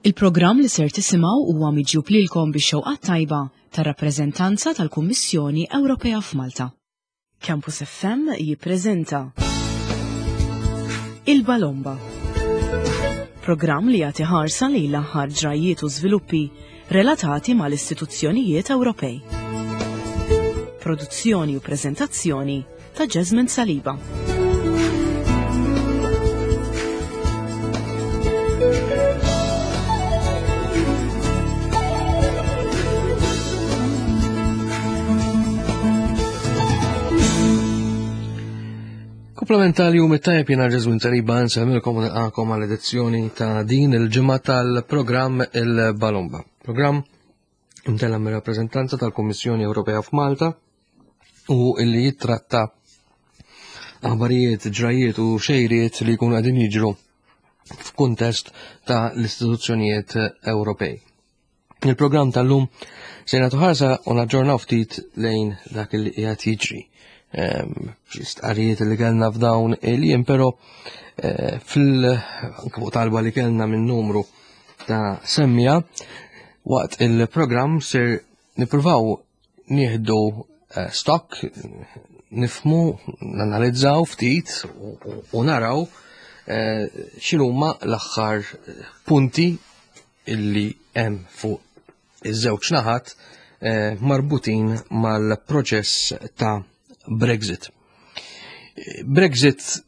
Il-programm li ser tisimgħu huwa miġjub lilkom bix-xewqat tajba tar-rappreżentanza tal-Kummissjoni Ewropea f'Malta. Campus FM jippreżenta Il-Balomba. Programm li jagħti ħarsa lejn l-aħħar ġrajjiet u żviluppi relatati mal-istituzzjonijiet Ewropej. Produzzjoni u preżentazzjoni ta' Jasmine Saliba. Komplement tal-jum it-tajb jena Ġeżwin Saliba nsemmilkom u nilqakom għal edizzjoni ta' din il-ġimgħa tal-programm il-Balomba. Programm imtella mir-rappreżentanza tal-Kummissjoni Ewropea f'Malta u illi jittratta aħbarijiet, ġrajiet u xejriet li jkunu qegħdin jiġru f'kuntest ta' l-istituzzjonijiet Ewropej. Il-programm tal-lum se nagħtu ħarsa u naġġornaw ftit lejn dak li qiegħed jiġri. Ehm, xi stqarrijiet li kellna f'dawn il-jiem, però eh, fil talba li kellna minn numru ta' semmija waqt il-programm ser nippruvaw nieħdu eh, stock, nifmu, nanalizzaw ftit u naraw eh, x'inhuma l-aħħar punti illi hemm fuq iż-żewġ naħat eh, marbutin mal-proċess ta' Brexit. Brexit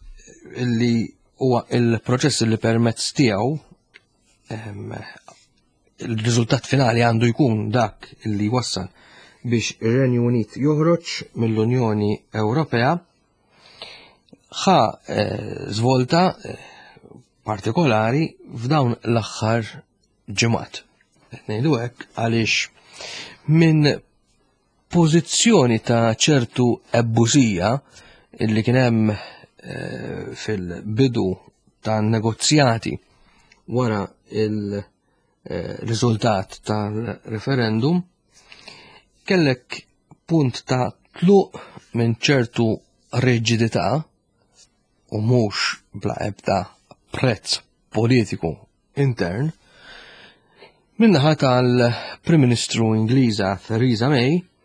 illi huwa il-proċess li permezz tiegħu ehm, il-riżultat finali għandu jkun dak li wassal biex ir-Renju Unit joħroġ mill-Unjoni Ewropea ħa eh, żvolta eh, partikolari f'dawn l-aħħar ġimgħat. Qed ngħidu hekk għaliex minn pożizzjoni ta' ċertu ebbusija illi kien hemm eh, fil-bidu ta' negozjati wara il-riżultat eh, tal-referendum, kellek punt ta' tluq minn ċertu riġidità u mhux bla ebda prezz politiku intern, min-naħa tal-Prim Ministru Ingliża Theresa May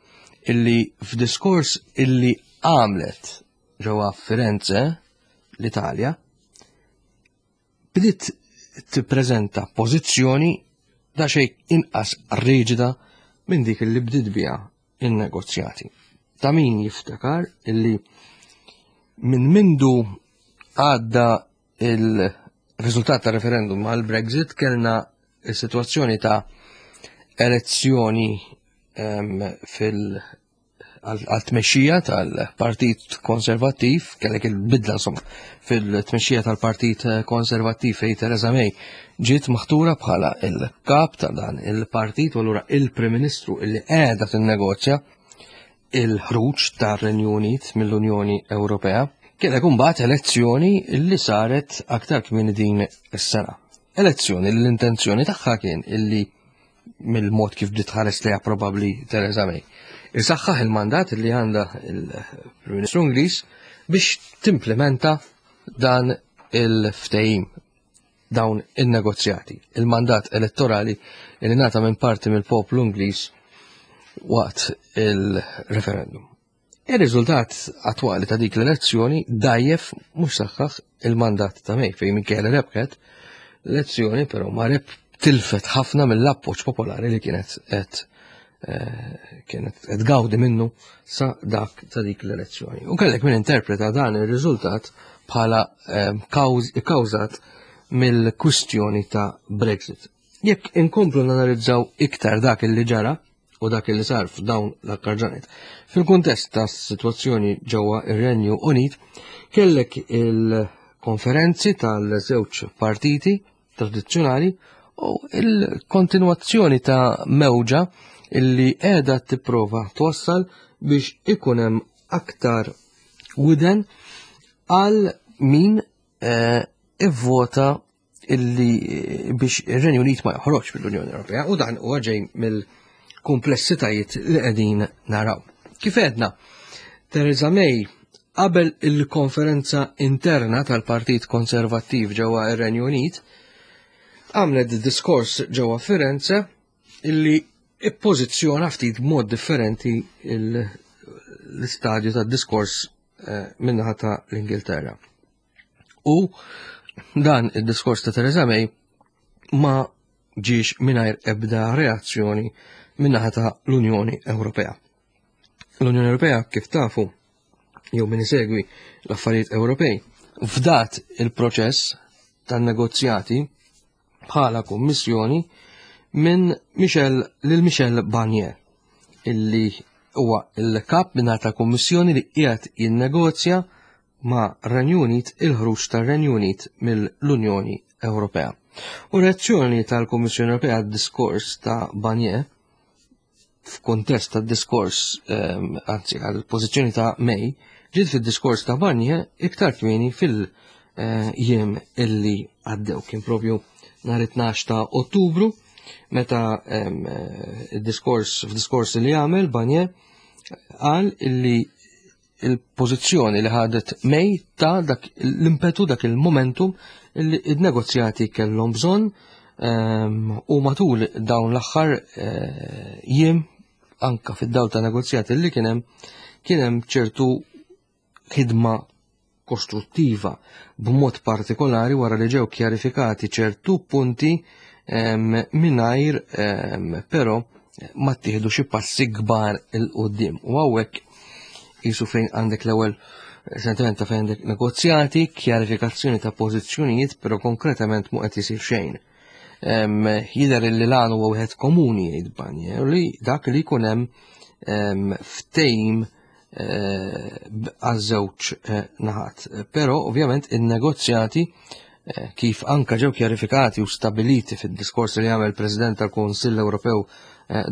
illi f'diskors illi għamlet ġewwa Firenze, l-Italja, bdiet tippreżenta pożizzjoni da xejn inqas riġida minn dik li bdiet biha in-negozjati. Ta' min jiftakar illi minn mindu għadda il-riżultat ta' referendum għal Brexit kellna il-situazzjoni ta' elezzjoni fil- għal-tmexxija tal-Partit Konservattiv, kellek il-bidla insomma fil-tmexxija tal-Partit Konservattiv fej Theresa May ġiet maħtura bħala il-kap ta' dan il-partit u allura il-Prim Ministru illi qiegħda tinnegozja il-ħruġ tar-Renju Unit mill-Unjoni Ewropea. Kellek imbagħad elezzjoni li saret aktar kmieni din is-sena. Elezzjoni li l-intenzjoni tagħha kien illi mill-mod kif bdiet ħares lejha probabbli Theresa May. Isaħħaħ il-mandat li għandha il-Prim Ministru Ingliż biex timplementa dan il-ftehim dawn in-negozjati. Il-mandat elettorali li ngħata minn parti mill-poplu Ingliż waqt il-referendum. Ir-riżultat attwali ta' dik l-elezzjoni dajjef mhux saħħaħ il-mandat ta' May fejn minkejja li rebħet l-elezzjoni però ma reb tilfet ħafna mill-appoġġ popolari li kienet qed eh, kienet qed gawdi minnu sa dak ta' dik l-elezzjoni. U kellek min interpreta dan ir-riżultat bħala eh, kkawżat mill-kwistjoni ta' Brexit. Jekk inkomplu nanalizzaw iktar dak li ġara u dak li sar f'dawn l-akkar ġranet. Fil-kuntest ta' situazzjoni ġewwa ir-Renju Unit, kellek il-konferenzi tal-żewġ partiti tradizzjonali u il-kontinwazzjoni ta' mewġa illi qiegħda tipprova twassal biex ikun hemm aktar widen għal min eh, ivvota illi eh, biex ir-Renju Unit ma joħroġ mill-Unjoni Ewropea u dan huwa ġej mill-kumplessitajiet li qegħdin naraw. Kif għedna, Theresa May qabel il-konferenza interna tal-Partit Konservattiv ġewwa ir-Renju Unit. għamlet diskors ġewwa Firenze illi ippożizzjona ftit b'mod differenti l-istadju tad-diskors eh, minnaħa ta' l-Ingilterra. U dan id-diskors ta' Theresa May ma ġiex mingħajr ebda reazzjoni minnaħa ta' l-Unjoni Ewropea. L-Unjoni Ewropea kif tafu jew min isegwi l-affarijiet Ewropej fdat il-proċess tan-negozjati bħala kummissjoni minn Michel lil Michel Barnier illi huwa il-kap minn ta' kummissjoni li qiegħed jinnegozja ma' Renju Unit il-ħruġ tar-Renju Unit mill-Unjoni Ewropea. U reazzjoni tal-Kummissjoni Ewropea għad-diskors ta' Barnier f'kuntest ta' diskors, ehm, anzi għal-pożizzjoni ta' May, ġiet fid-diskors ta' Barnier iktar kmieni fil-jiem illi għaddew. Kien propju nhar 12 ta' Ottubru meta ehm, id-diskors f'diskors li għamel Barnier qal illi il-pożizzjoni li ħadet May ta' dak l-impetu dak il-momentum li id-negozjati kellhom bżonn ehm, u matul dawn l-aħħar eh, jiem anka fid-dawl ta' negozjati li kien hemm kien hemm ċertu ħidma kostruttiva b'mod partikolari wara li ġew kjarifikati ċertu punti ehm, mingħajr ehm, però ma ttieħdu xi passi kbar il qudiem U hawnhekk jisu fejn għandek l-ewwel sentiment ta' fejn għandek negozjati, kjarifikazzjoni ta' pożizzjonijiet, però konkretament mu qed isir xejn. Jidher li l-għan huwa wieħed komuni jgħid Barnier li dak li jkun hemm ftehim eh, għaż-żewġ eh, naħat. Però ovvjament in-negozjati eh, kif anka ġew kjarifikati u stabiliti fid-diskors li għamel President tal-Kunsill Ewropew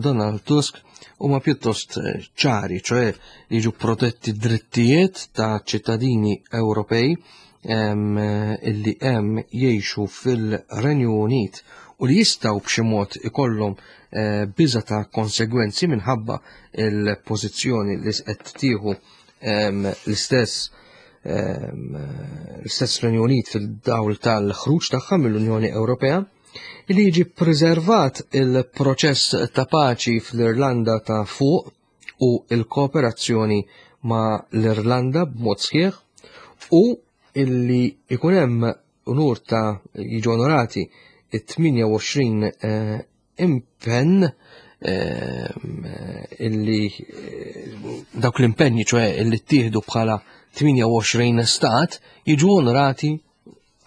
Donald Tusk huma pjuttost ċari, ċoe jiġu protetti drittijiet ta' ċittadini Ewropej illi hemm jgħixu fil-Renju Unit u li jistgħu b'xi mod ikollhom eh, biża ta' konsegwenzi minħabba il-pożizzjoni li qed tieħu l-istess l-istess Renju Unit fil-dawl tal-ħruġ tagħha mill-Unjoni Ewropea li jiġi preservat il-proċess ta' paċi fl-Irlanda ta' fuq u l-kooperazzjoni ma' l-Irlanda b'mod sħiħ u illi ikun hemm unur ta' jiġu onorati it-28 eh, impenn eh, illi eh, dawk l-impenni ċoħe illi ttieħdu bħala 28 stat jiġu onorati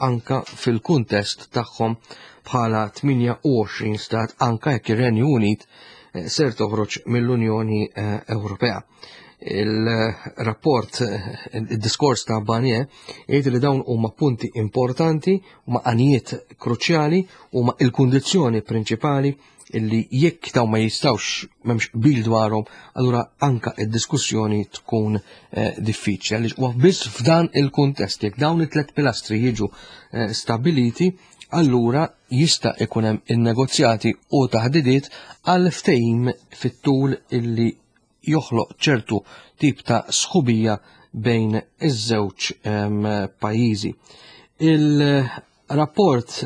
anka fil-kuntest tagħhom bħala 28 stat anka jekk ir-Renju Unit eh, ser toħroġ mill-Unjoni eh, Ewropea. Il-rapport, eh, il-diskors ta' Barnier, jgħid li dawn huma punti importanti, huma għanijiet kruċjali, huma il-kundizzjoni prinċipali illi jekk dawn ma jistawx m'hemmx qbil dwarhom, allura anka id-diskussjoni tkun eh, diffiċli. Għaliex huwa biss f'dan il-kuntest jekk dawn it-tlet pilastri jiġu eh, stabiliti, allura jista' ikun hemm in-negozjati u taħdidiet għal ftehim fit-tul illi joħloq ċertu tip ta' sħubija bejn iż-żewġ ehm, pajjiżi. Il-rapport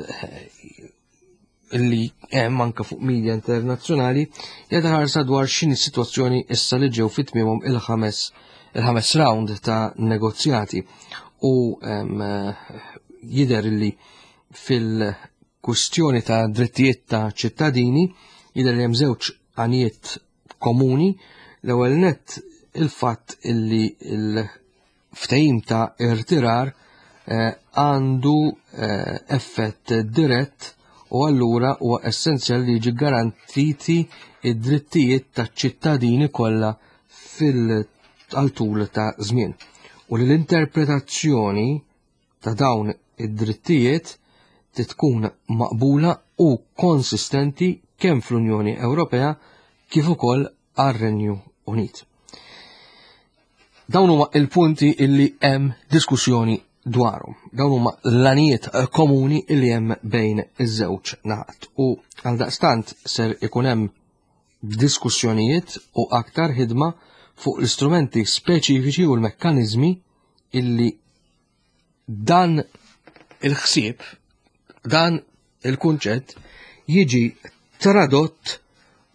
li hemm anke fuq media internazzjonali jagħti ħarsa dwar x'inhi s-sitwazzjoni issa li ġew fit-tmiemhom il-ħames il-ħames round ta' negozjati u jidher li fil-kwistjoni ta' drittijiet ta' ċittadini jidher li hemm żewġ għanijiet komuni l-ewwel nett il-fatt illi il ftehim ta' irtirar eh, għandu eh, effett dirett u allura huwa essenzjali li jiġi garantiti id-drittijiet taċ-ċittadini kollha fil-tul ta' żmien. U li l-interpretazzjoni ta' dawn id-drittijiet tkun maqbula u konsistenti kemm fl-Unjoni Ewropea kif ukoll għar-Renju Unit. Dawn huma il-punti illi hemm diskussjoni dwarhom. Dawn huma l-għanijiet komuni illi hemm bejn iż-żewġ naħat. U għaldaqstant ser ikun hemm diskussjonijiet u aktar ħidma fuq l-istrumenti speċifiċi u l-mekkaniżmi illi dan il-ħsieb, dan il-kunċett jiġi tradott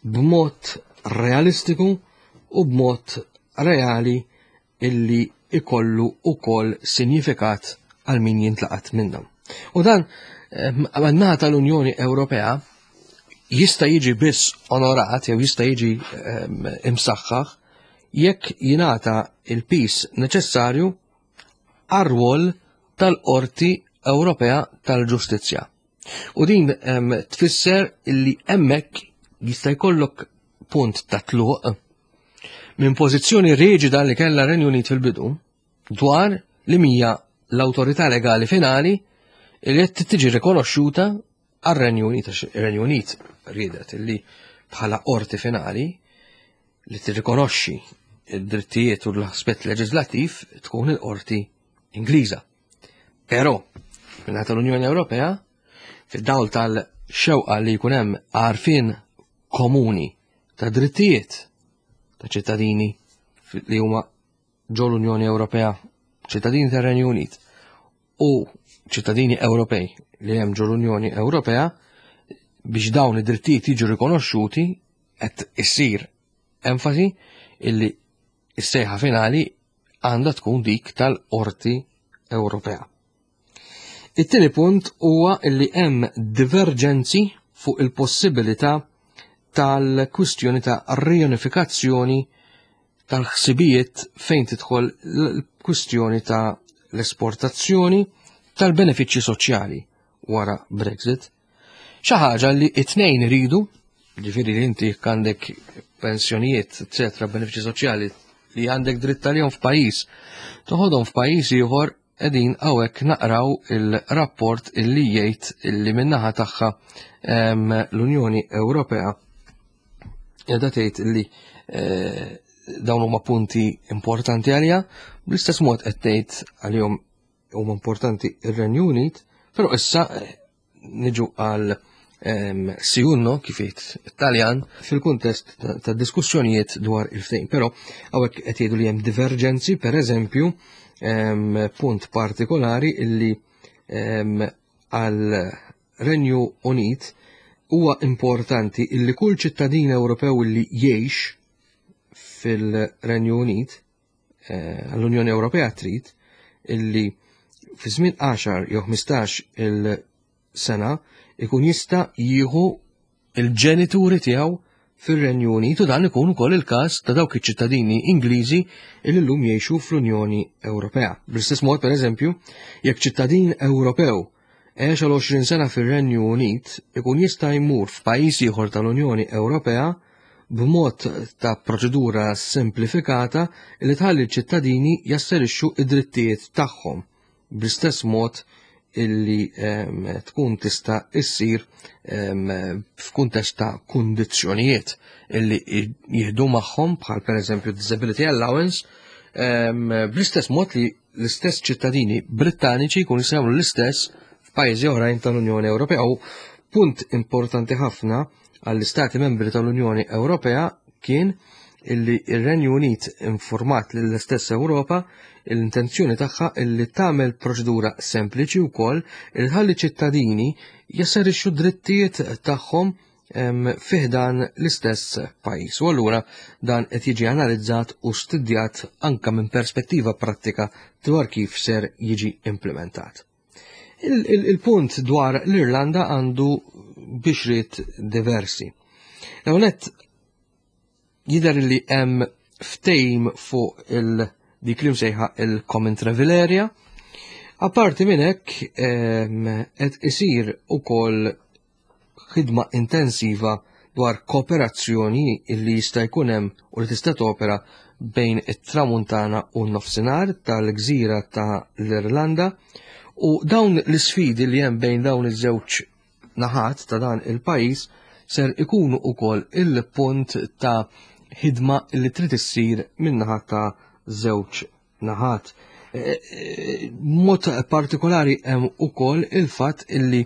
b'mod realistiku u b'mod reali illi ikollu ukoll sinjifikat għal min jintlaqat minnhom. U dan eh, għan-naħa tal-Unjoni Ewropea jista' jiġi biss onorat jew jista' jiġi ehm, imsaħħaħ jekk jingħata il-pis neċessarju għar-rwol tal-Qorti Ewropea tal-Ġustizzja. U din ehm, tfisser li hemmhekk jista' jkollok punt ta' tluq minn pożizzjoni riġida li kellha Renju Unit fil-bidu dwar li mija l-awtorità legali finali li qed tiġi rikonoxxuta għar-Renju Unit, għax ir-Renju Unit riedet li bħala qorti finali li tirrikonoxxi id-drittijiet u l-aspett leġislattiv tkun il-qorti Ingliża. Però, minn tal-Unjoni Ewropea, fid-dawl tal-xewqa li jkun hemm għarfien komuni ta' drittijiet ta' ċittadini li huma ġo l-Unjoni Ewropea, ċittadini tar-Renju Unit u ċittadini Ewropej li hemm ġo l-Unjoni Ewropea biex dawn id-drittijiet jiġu rikonoxxuti qed issir enfasi illi s-sejħa finali għandha tkun dik tal-Qorti Ewropea. It-tieni punt huwa li hemm diverġenzi fuq il-possibilità tal-kwistjoni ta' riunifikazzjoni tal-ħsibijiet fejn tidħol l-kwistjoni ta' l-esportazzjoni tal-benefiċċji soċjali wara Brexit. Xi ħaġa li it-tnejn iridu, ġifieri li inti jekk għandek pensjonijiet, eċetera, benefiċċji soċjali li għandek dritt għalihom f'pajjiż, toħodhom f'pajjiż ieħor qegħdin hawnhekk naqraw il-rapport illi jgħid illi min-naħa tagħha l-Unjoni Ewropea qiegħda tgħid illi eh, dawn huma punti importanti għalija, bl-istess mod qed tgħid għalihom huma importanti ir-Renju Unit, però issa eh, niġu għal ehm, siunno kif jgħid Taljan fil-kuntest ta' diskussjonijiet dwar il-ftehim. Però hawnhekk qed jgħidu li hemm diverġenzi, pereżempju, ehm, punt partikolari illi ehm, għal Renju Unit huwa importanti illi kull ċittadin Ewropew li jgħix fil-Renju Unit Eh, l-Unjoni Ewropea trid illi fi żmien 10 jew 15 il-sena ikun jista' jieħu il-ġenituri tiegħu fir-Renju Unit u dan ikun ukoll il-każ ta' dawk iċ-ċittadini Ingliżi li llum jgħixu fl-Unjoni Ewropea. Bl-istess mod, pereżempju, jekk ċittadin Ewropew għex għal 20 sena fir-Renju Unit ikun jista' jmur f'pajjiż ieħor tal-Unjoni Ewropea b'mod ta' proċedura semplifikata li tħalli ċ-ċittadini jasserixxu id-drittijiet tagħhom bl-istess mod illi ehm, tkun tista' issir ehm, f'kuntest ta' kundizzjonijiet illi jieħdu magħhom bħal pereżempju disability allowance ehm, bl-istess mod li l-istess ċittadini Brittaniċi jkunu jistgħu jagħmlu l-istess f'pajjiżi oħrajn tal-Unjoni Ewropea. U punt importanti ħafna għall-Istati membri tal-Unjoni Ewropea kien illi ir-Renju Unit informat lill-istess Ewropa l-intenzjoni tagħha illi tagħmel proċedura sempliċi wkoll li tħalli ċittadini jasserixxu drittijiet tagħhom fih dan l-istess pajjiż. U allura dan qed jiġi analizzat u studjat anka minn perspettiva prattika dwar kif ser jiġi implementat. Il-punt dwar l-Irlanda għandu bixriet diversi. L-ewwel Jidher li hemm ftehim fuq il dik li msejħa il-Common Travel Area. Apparti minn hekk qed isir ukoll ħidma intensiva dwar kooperazzjoni li jista' jkun hemm u li tista' topera bejn it-Tramuntana u n-Nofsinhar tal-gżira ta' l-Irlanda u dawn l-isfidi li hemm bejn dawn iż-żewġ naħat ta' dan il-pajjiż ser ikunu wkoll il-punt ta' ħidma li trid issir min-naħa ta' żewġ naħat. E, e, mod partikolari hemm ukoll il-fatt illi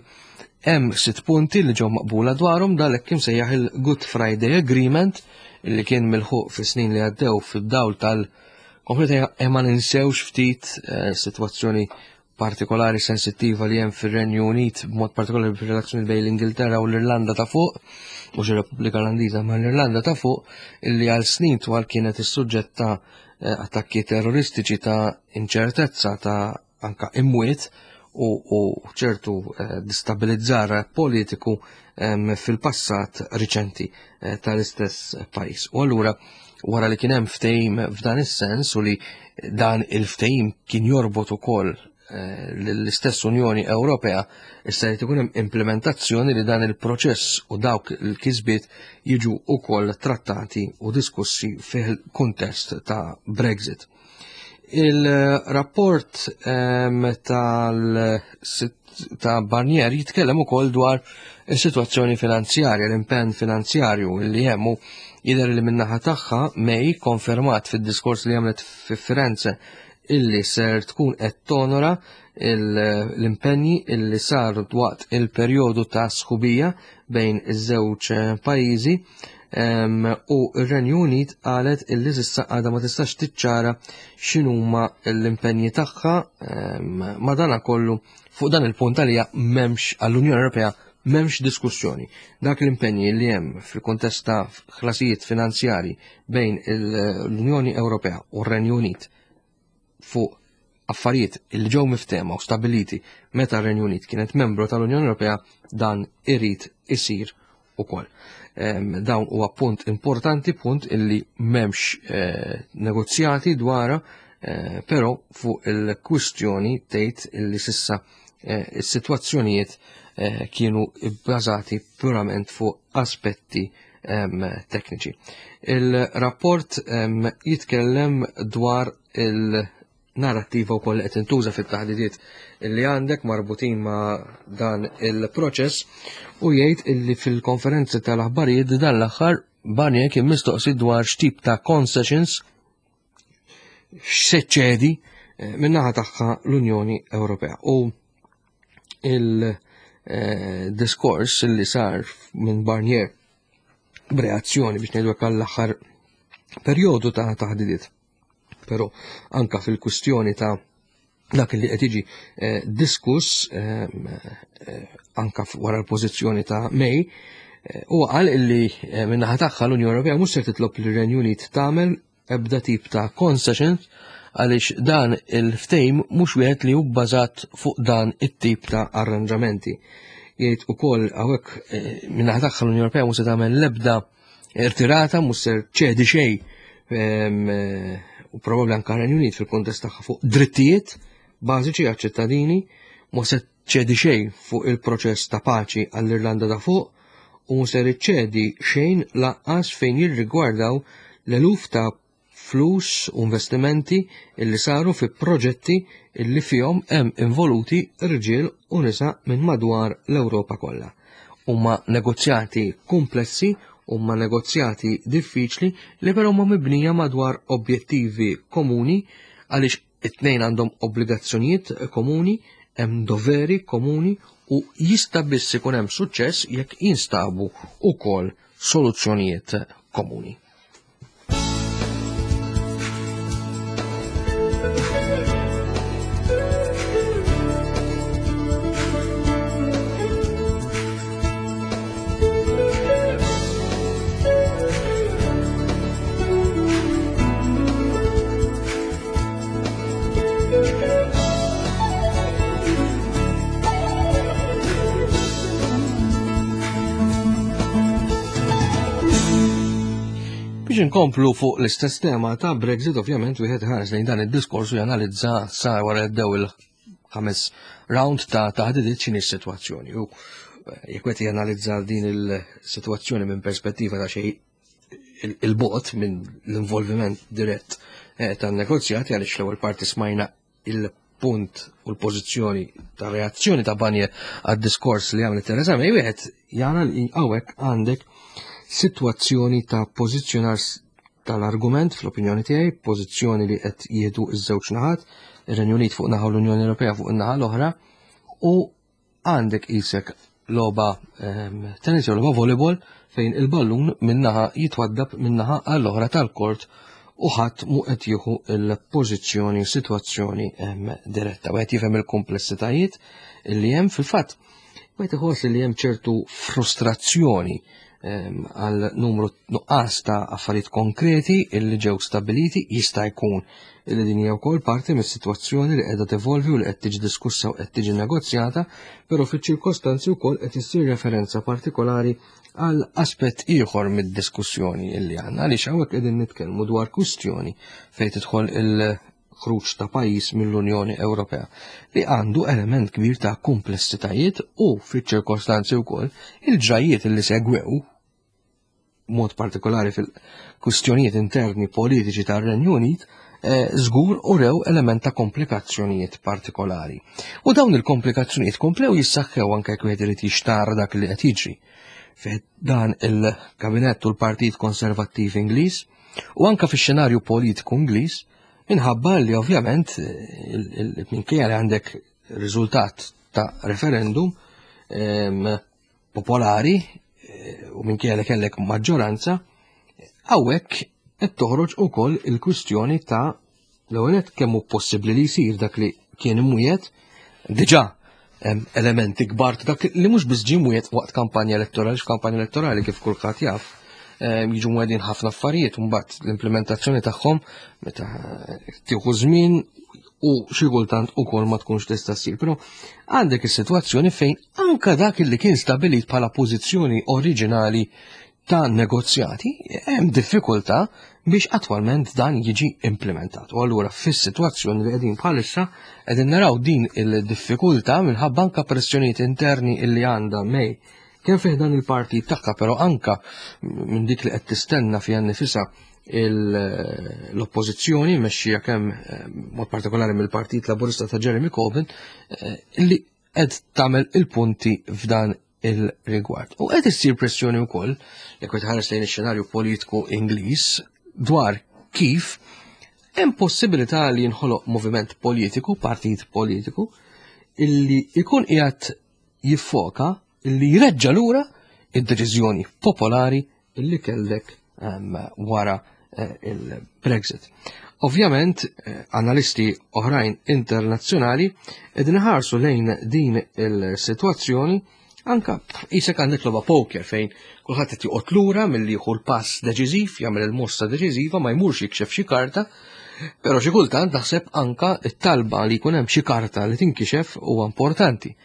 hemm sitt punti li ġew maqbula dwarhom dalek imsejjaħ il-Good Friday Agreement illi kien milħuq fis-snin li għaddew fid-dawl tal-konflitt ma ninsewx ftit e, sitwazzjoni. partikolari sensittiva li hemm fir-Renju Unit b'mod partikolari fir-relazzjoni bejn l-Ingilterra u l-Irlanda ta' fuq, mhux ir-Repubblika Irlandiża ma l-Irlanda ta' fuq, illi għal snin twal kienet is-suġġett ta' eh, attakki terroristiċi ta' inċertezza ta' anka imwiet u, u ċertu eh, distabilizzar politiku fil-passat riċenti eh, tal-istess pajjiż. U allura wara li kien hemm ftehim f'dan is-sens u li dan il-ftehim kien jorbot ukoll eh, l-istess Unjoni Ewropea issa jrid ikun hemm implementazzjoni li dan il-proċess u dawk il-kisbiet jiġu ukoll trattati u diskussi fil-kuntest ta' Brexit. Il-rapport ehm, tal ta' Barnier jitkellem ukoll dwar is-sitwazzjoni finanzjarja, l-impenn finanzjarju li hemm jidher li min-naħa tagħha May konfermat fid-diskors li għamlet fi Firenze illi ser tkun qed tonora l-impenji illi saru waqt il-perjodu ta' sħubija bejn iż-żewġ pajjiżi u r-Renju Unit qalet illi s'issa għadha ma tistax tiċċara x'inhuma l-impenji tagħha madanakollu fuq dan il-punt għalija m'hemmx għall-Unjoni Ewropea m'hemmx diskussjoni. Dak l-impenji li hemm fil-kuntest ta' ħlasijiet finanzjari bejn l-Unjoni Ewropea u r-Renju Unit fuq affarijiet li ġew miftehma u stabiliti meta r-Renju Unit kienet membru tal-Unjoni Ewropea dan irid isir ukoll. Dawn huwa punt importanti, punt illi m'hemmx eh, negozjati dwara, eh, però fuq il-kwistjoni tgħid illi sissa eh, is-sitwazzjonijiet kienu bbażati purament fuq aspetti tekniċi. Il-rapport jitkellem dwar il-narrattiva wkoll li qed intuża fit-taħdidiet li għandek marbutin ma' dan il-proċess u jgħid illi fil-konferenzi tal-aħbarijiet dan l-aħħar Barnier kien mistoqsi dwar x'tip ta' concessions x'se ċedi eh, min-naħa tagħha l-Unjoni Ewropea. U il-diskors eh, li sar minn Barnier b'reazzjoni biex ngħidu għall-aħħar perjodu ta' taħdidiet. Però anka fil-kwistjoni ta' dak li qed jiġi eh, diskuss eh, eh, anka wara l-pożizzjoni ta' May, huwa qal illi min-naħa tagħha l-Unjoni Ewropea mhux se titlob lir-Renju Unit tagħmel ebda tip ta' concessions għaliex dan il-ftejm mhux wieħed li hu bbażat fuq dan it-tip ta' arranġamenti. Jgħid ukoll hawnhekk min-naħa tagħha l-Unjoni Ewropea mhux se tagħmel l-ebda irtirata mhux ser ċedi xejn ehm, u probabbli anke Renju Unit fil-kontest tagħha fuq drittijiet bażiċi għaċ-ċittadini, mhux se ċedi xejn fuq il-proċess ta' paċi għall-Irlanda ta' fuq u mhux ser iċċedi xejn lanqas fejn jirrigwardaw l-eluf ta' flus u investimenti illi saru fi proġetti illi fihom hemm involuti rġiel u nisa minn madwar l-Ewropa kollha. Huma negozjati kumplessi, huma negozjati diffiċli li però huma mibnija madwar objettivi komuni għaliex it-tnejn għandhom obbligazzjonijiet komuni, hemm doveri komuni u jista' biss ikun hemm suċċess jekk jinstabu wkoll soluzzjonijiet komuni. Biex inkomplu fuq l-istess tema ta' Brexit, ovvjament wieħed ħares lejn dan id-diskors u janalizza sa wara jibdew il-ħames round ta' taħdidiet x'inhi s-sitwazzjoni. U eh, jekk qed janalizza din il-sitwazzjoni minn perspettiva ta' xejn il-bot minn l-involviment dirett eh, tan-negozjati għaliex l-ewwel parti smajna il-punt u l-pożizzjoni ta' reazzjoni ta' Barnier għad-diskors li għamlet Theresa May, wieħed jara li hawnhekk għandek sitwazzjoni ta' pożizzjonar tal-argument fl-opinjoni tiegħi, pożizzjoni li qed jieħdu ż-żewġ naħat, ir-Renju Unit fuq naħa u l-Unjoni Ewropea fuq in-naħa l-oħra, u għandek isek logħba ehm, tennis jew logħba volleyball fejn il-ballun minnaħa jitwaddab minnaħa għall-oħra tal-kort u ħadd mu qed jieħu l-pożizzjoni sitwazzjoni diretta. Wieħed jifhem il-komplessitajiet li hemm fil-fatt wieħed iħoss li hemm ċertu frustrazzjoni għal numru nuqqas ta' affarijiet konkreti illi ġew stabiliti jista' jkun illi din hija wkoll parti mis-sitwazzjoni li qiegħda tevolvi u li qed tiġi diskussa u qed tiġi negozjata, però fiċ-ċirkostanzi wkoll qed issir referenza partikolari għal aspett ieħor mid-diskussjoni illi għandna għaliex hawnhekk qegħdin nitkellmu dwar kwistjoni fejn tidħol il-ħruġ ta' pajjiż mill-Unjoni Ewropea li għandu element kbir ta' komplessitajiet u fiċ-ċirkostanzi wkoll il-ġrajiet li segwew mod partikolari fil-kwistjonijiet interni politiċi tar-Renju Unit eh, żgur u rew element ta' komplikazzjonijiet partikolari. U dawn il-komplikazzjonijiet komplew jissaħħew anke jekk wieħed irid jixtar dak li qed jiġri. Fih dan il-kabinett u l-Partit Konservattiv Ingliż u anke fix-xenarju politiku Ingliż minħabba li ovvjament eh, minkejja li għandek riżultat ta' referendum popolari eh, u minkejja li kellek maġġoranza, hawnhekk qed toħroġ ukoll il-kwistjoni ta' l-ewwel kemm hu possibbli li jsir dak li kien imwiet diġà elementi kbar ta' dak li mhux biss ġie mwiet waqt kampanja elettorali, x'kampanja elettorali kif kulħadd jaf, jiġu mwedin ħafna affarijiet u mbagħad l-implementazzjoni tagħhom meta tieħu żmien u xi kultant ukoll ma tkunx tista' ssir. Però għandek is-sitwazzjoni fejn anka dak li kien stabilit bħala pożizzjoni oriġinali ta' negozjati hemm diffikultà biex attwalment dan jiġi implementat. U allura fis-sitwazzjoni li qegħdin bħalissa qegħdin naraw din il-diffikultà minħabba anka pressjonijiet interni illi għandha May kemm fih dan il-partit tagħha, però anka minn dik li qed tistenna fiha nnifisha l-oppożizzjoni mexxija kemm eh, mod partikolari mill-Partit Laburista ta' Jeremy Corbyn eh, li qed tagħmel il-punti f'dan il-rigward. U qed issir pressjoni wkoll jekk qed ħares lejn ix-xenarju politiku Ingliż dwar kif hemm possibilità li jinħoloq moviment politiku, partit politiku, illi ikun qiegħed jiffoka illi jreġġa' lura id-deċiżjoni popolari illi kellek ehm, wara eh, il-Brexit. Ovvjament, eh, analisti oħrajn internazzjonali qegħdin iħarsu lejn din il-sitwazzjoni anka isek għandek logħba poker fejn kulħadd qed joqgħod lura milli jieħu l-pass deċiżiv, jagħmel il-mossa deċiżiva ma jmurx jikxef xi karta, però xi kultant naħseb anka t-talba li jkun hemm xi karta li tinkixef huwa importanti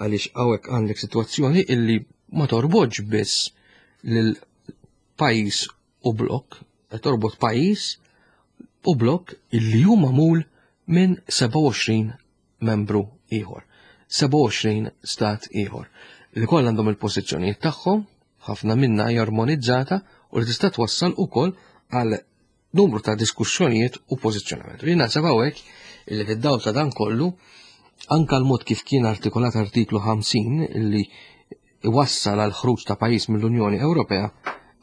għaliex hawnhekk għandek sitwazzjoni illi ma torbotx biss lil pajjiż u blokk, qed torbot pajjiż u blokk illi hu magħmul minn 27 membru ieħor, 27 stat ieħor li kollha għandhom il-pożizzjonijiet tagħhom, ħafna minna hija armonizzata u li tista' twassal ukoll għal numru ta' diskussjonijiet u pożizzjonament. U jien naħseb hawnhekk illi fid-dawl ta' dan kollu anka l-mod kif kien artikolat artiklu 50 illi iwassal għal ħruġ ta' pajjiż mill-Unjoni Ewropea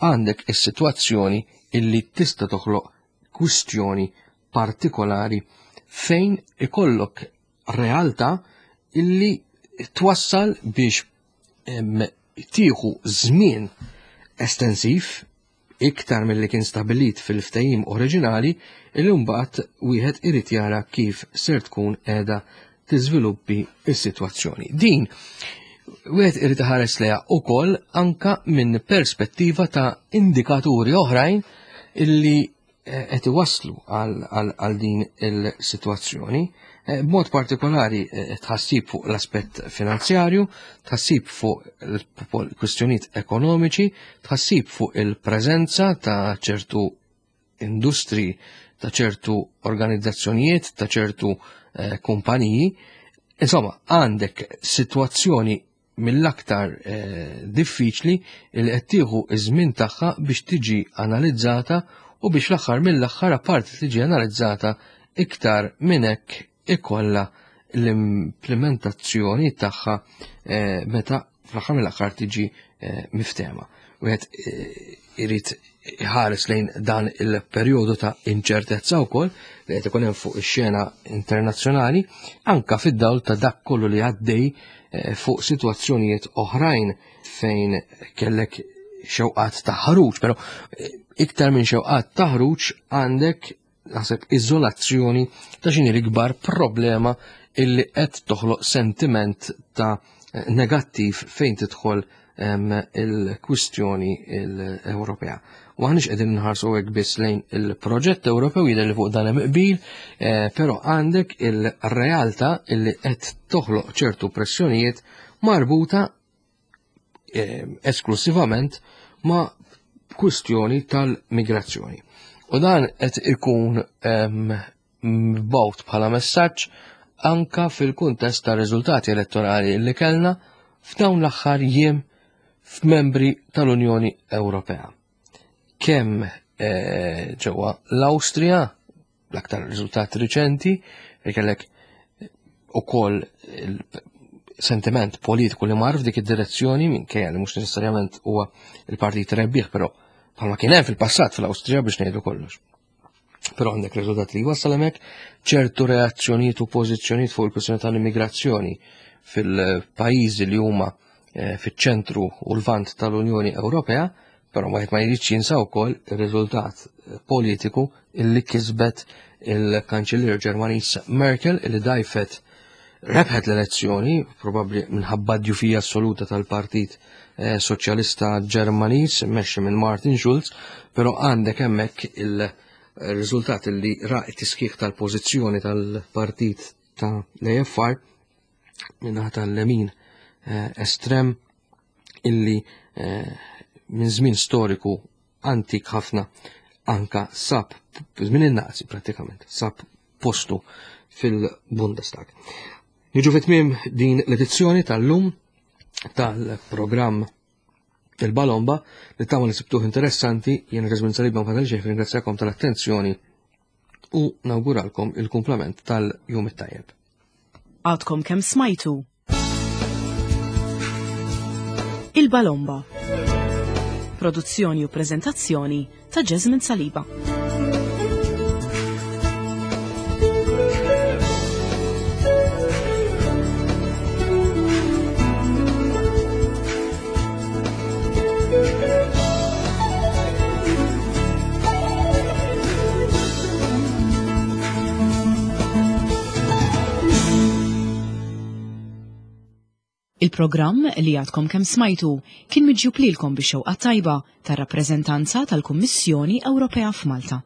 għandek is-sitwazzjoni illi tista' toħloq kwistjoni partikolari fejn ikollok realtà illi twassal biex tieħu żmien estensiv iktar milli kien stabilit fil-ftehim oriġinali illi mbagħad wieħed irid jara kif ser tkun qiegħda tiżviluppi s-sitwazzjoni. Din wieħed irid iħares lejha wkoll anka minn perspettiva ta' indikaturi oħrajn illi eh, qed iwasslu għal din il-sitwazzjoni. Eh, b'mod partikolari eh, tħassib fuq l-aspett finanzjarju, tħassib fuq il-kwistjonijiet ekonomiċi, tħassib fuq il-preżenza ta' ċertu industri, ta' ċertu organizzazzjonijiet, ta' ċertu kumpaniji. Insomma, għandek sitwazzjoni mill-aktar eh, diffiċli li qed tieħu iż-żmien tagħha biex tiġi analizzata u biex l-aħħar mill-aħħar apparti tiġi analizzata iktar minn hekk ikollha l-implementazzjoni tagħha eh, meta fl-aħħar mill-aħħar tiġi eh, miftema. Wieħed irid iħares lejn dan il-perjodu ta' inċertezza wkoll li qed ikun hemm fuq ix-xena internazzjonali anka fid-dawl ta' dak kollu li għaddej eh, fuq sitwazzjonijiet oħrajn fejn kellek xewqat ta' ħruġ, però eh, iktar minn xewqat ta' ħruġ għandek naħseb iżolazzjoni ta' xini l-ikbar problema illi qed toħloq sentiment ta' negattiv fejn tidħol il-kwistjoni l-Ewropea. U aħniex qegħdin nħarsu hekk biss lejn il-proġett Ewropew jidher li fuq dan hemm qbil, eh, però għandek il-realtà illi qed toħloq ċertu pressjonijiet marbuta eh, esklusivament ma' kwistjoni tal-migrazzjoni. U dan qed ikun mbawt bħala messaġġ anka fil-kuntest ta' riżultati elettorali li kellna f'dawn l-aħħar jiem f'membri tal-Unjoni Ewropea. Kemm eh, ġewwa l-Awstrija, l-aktar riżultat riċenti, li kellek ukoll sentiment politiku li mar f'dik id-direzzjoni minkejja li mhux neċessarjament huwa il-partit rebbieħ, però bħalma kien hemm fil-passat fl-Awstrija biex ngħidu kollox. Però għandek riżultat li jwassal hemmhekk ċertu reazzjonijiet u pożizzjonijiet fuq il-kwistjoni tal-immigrazzjoni fil-pajjiżi li huma eh, fiċ-ċentru u l-vant tal-Unjoni Ewropea, però wieħed ma jridx jinsa wkoll ir-riżultat eh, politiku illi kisbet il-Kanċellier Ġermaniż Merkel illi dajfet rebħet l-elezzjoni, probabbli minħabba djufija assoluta tal-Partit eh, Soċjalista Ġermaniż mexxi minn Martin Schulz, però għandek hemmhekk il-riżultat li ra t-tiskieħ tal-pożizzjoni tal-partit ta' l-AFR minnaħa tal-lemin eh, estrem illi eh, minn żmien storiku antik ħafna anka sab żmien in-Nazi pratikament sab postu fil-Bundestag. Niġu fit-tmiem din l-edizzjoni tal-lum tal-programm il-Balomba li tama li sibtuh interessanti jien Rizmin Salib ma fadal xejn ringrazzjakom tal-attenzjoni u nawguralkom il-kumplament tal-jum it-tajjeb. Għadkom kemm smajtu Il-Balomba. Produzzjoni u prezentazzjoni ta' Jasmine Saliba. Il-programm li għadkom kemm smajtu kien miġjub lilkom bix-xewqa tajba tar-rappreżentanza tal-Kummissjoni Ewropea f'Malta.